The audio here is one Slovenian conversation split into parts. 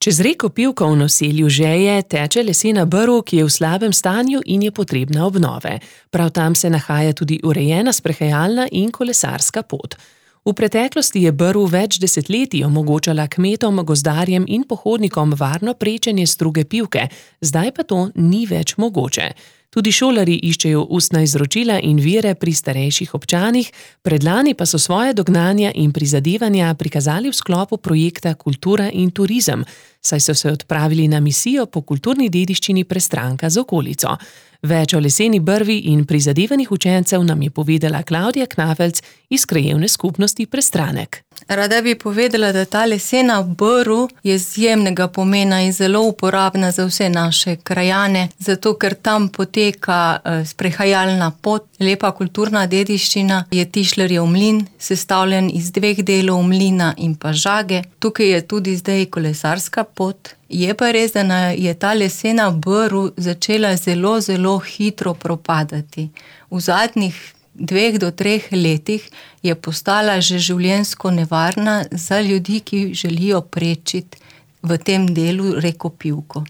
Čez reko Pivko v naselju Žeje teče lesena brv, ki je v slabem stanju in je potrebna obnove. Prav tam se nahaja tudi urejena sprehajalna in kolesarska pot. V preteklosti je brv več desetletij omogočala kmetom, gozdarjem in pohodnikom varno prečenje struge Pivke, zdaj pa to ni več mogoče. Tudi šolarji iščejo ustna izročila in vire pri starejših občanih, predlani pa so svoje dognanja in prizadevanja prikazali v sklopu projekta Kultura in turizem, saj so se odpravili na misijo po kulturni dediščini Prestranka z okolico. Več o leseni brvi in prizadevanjih učencev nam je povedala Klavdija Knafelc iz krajevne skupnosti Prestranek. Rada bi povedala, da ta lesena brv je izjemnega pomena in zelo uporabna za vse naše krajane, zato ker tam poteka sprehajalna pot, lepa kulturna dediščina, je Tišlerjev mlin, sestavljen iz 2 delov mlina in pa žage. Tukaj je tudi zdaj kolesarska pot. Je pa res, da je ta lesena brv začela zelo, zelo hitro propadati. V zadnjih 2 do 3 letih je postala že življenjsko nevarna za ljudi, ki želijo prečiti v tem delu reko Pivko.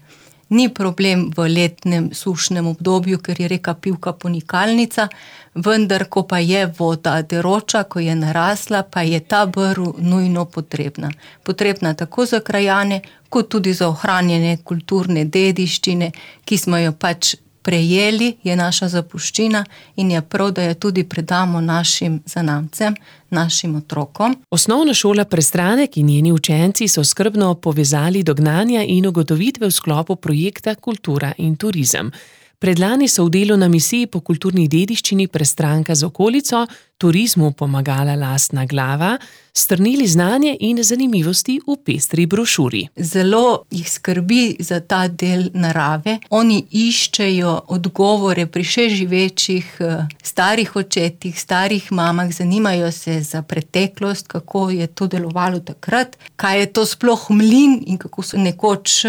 Ni problem v letnem sušnem obdobju, ker je reka Pivka ponikalnica, vendar ko pa je voda deroča, ko je narasla, pa je ta brv nujno potrebna. Potrebna tako za krajane, kot tudi za ohranjanje kulturne dediščine, ki smo jo pač prejeli, je naša zapuščina in je prav, da jo tudi predamo našim zanamcem, našim otrokom. Osnovna šola Prestranek in njeni učenci so skrbno povezali dognanja in ugotovitve v sklopu projekta Kultura in turizem. Predlani so v delu na misiji po kulturni dediščini Prestranka z okolico, turizmu pomagala lastna glava, strnili znanje in zanimivosti v pestri brošuri. Zelo jih skrbi za ta del narave. Oni iščejo odgovore pri še živečih starih očetih, starih mamah, zanimajo se za preteklost, kako je to delovalo takrat, kaj je to sploh mlin in kako so nekoč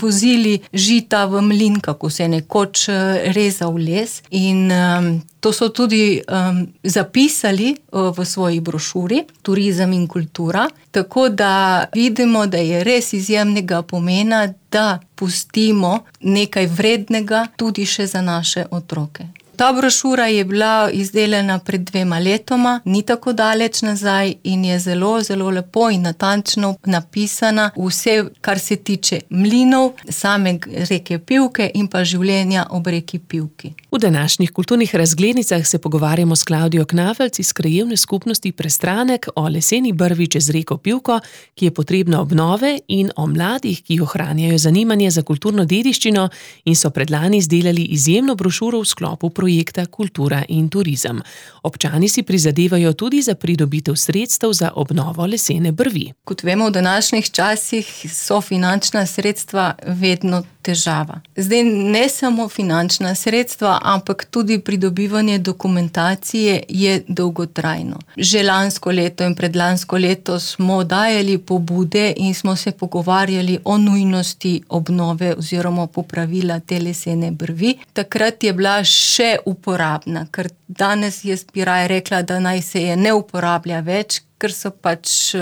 vozili žita v mlin, kako se je nekoč rezal les. In to so tudi zapisali v svoji brošuri Turizem in kultura, tako da vidimo, da je res izjemnega pomena, da pustimo nekaj vrednega tudi še za naše otroke. Ta brošura je bila izdelana pred 2 letoma, ni tako daleč nazaj in je zelo, zelo lepo in natančno napisana vse, kar se tiče mlinov, same reke Pivke in pa življenja ob reki Pivki. V današnjih kulturnih razglednicah se pogovarjamo s Klavdijo Knafelc iz krajevne skupnosti Prestranek o leseni brvi čez reko Pivko, ki je potrebna obnove, in o mladih, ki ohranjajo zanimanje za kulturno dediščino in so predlani izdelali izjemno brošuro v sklopu projekta Kultura in turizem. Občani si prizadevajo tudi za pridobitev sredstev za obnovo lesene brvi. Kot vemo, v današnjih časih so finančna sredstva vedno težava. Zdaj ne samo finančna sredstva, ampak tudi pridobivanje dokumentacije je dolgotrajno. Že lansko leto in predlansko leto smo dajali pobude in smo se pogovarjali o nujnosti obnove oziroma popravila te lesene brvi. Takrat je bila še uporabna, ker danes jaz bi raje rekla, da naj se je ne uporablja več, ker so pač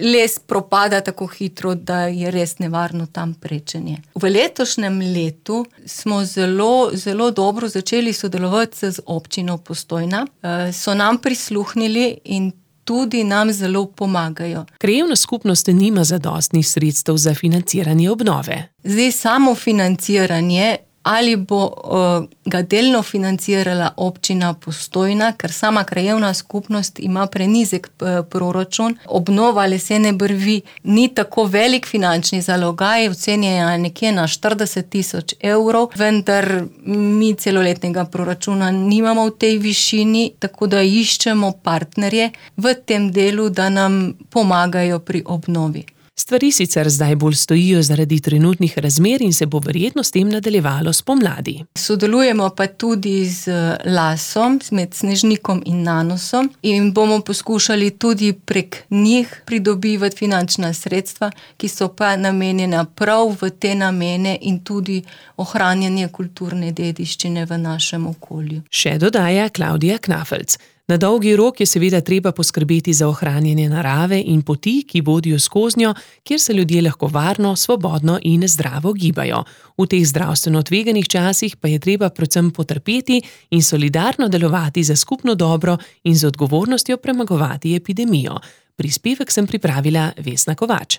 les propada tako hitro, da je res nevarno tam prečenje. V letošnjem letu smo zelo, zelo dobro začeli sodelovati z občino Postojna. So nam prisluhnili in tudi nam zelo pomagajo. Krajevna skupnost nima zadostnih sredstev za financiranje obnove. Zdaj samo financiranje ali bo ga delno financirala občina Postojna, ker sama krajevna skupnost ima prenizek proračun. Obnova lesene brvi ni tako velik finančni zalogaj, ocenjena nekje na 40 000 evrov, vendar mi celoletnega proračuna nimamo v tej višini, tako da iščemo partnerje v tem delu, da nam pomagajo pri obnovi. Stvari sicer zdaj bolj stojijo zaradi trenutnih razmer in se bo verjetno s tem nadaljevalo spomladi. Sodelujemo pa tudi z Lasom, med Snežnikom in Nanosom, in bomo poskušali tudi prek njih pridobivati finančna sredstva, ki so pa namenjena prav v te namene in tudi ohranjanje kulturne dediščine v našem okolju. Še dodaja Klavdija Knafelc. Na dolgi rok je seveda treba poskrbeti za ohranjanje narave in poti, ki vodijo skoznjo, kjer se ljudje lahko varno, svobodno in zdravo gibajo. V teh zdravstveno tveganih časih pa je treba predvsem potrpeti in solidarno delovati za skupno dobro in z odgovornostjo premagovati epidemijo. Prispevek sem pripravila Vesna Kovač.